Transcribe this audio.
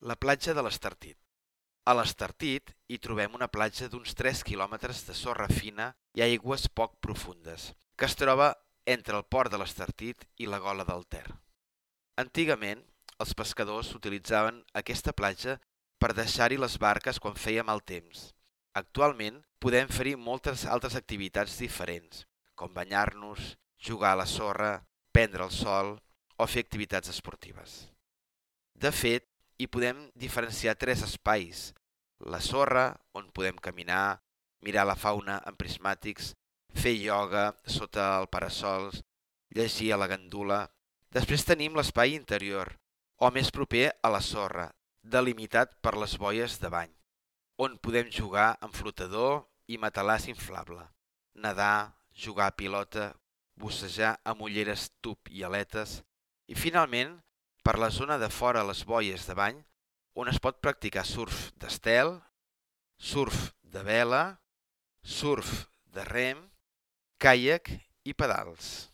La platja de l'Estartit. A l'Estartit hi trobem una platja d'uns 3 quilòmetres de sorra fina i aigües poc profundes, que es troba entre el port de l'Estartit i la Gola del Ter. Antigament, els pescadors utilitzaven aquesta platja per deixar-hi les barques quan feia mal temps. Actualment, podem fer-hi moltes altres activitats diferents, com banyar-nos, jugar a la sorra, prendre el sol o fer activitats esportives. De fet, hi podem diferenciar 3 espais: la sorra, on podem caminar, mirar la fauna amb prismàtics, fer ioga sota el parasols, llegir a la gandula. Després tenim l'espai interior, o més proper a la sorra, delimitat per les boies de bany, on podem jugar amb flotador i matalàs inflable, nedar, jugar a pilota, bussejar amb ulleres tub i aletes, i finalment, per la zona de fora a les boies de bany, on es pot practicar surf d'estel, surf de vela, surf de rem, caiac i pedals.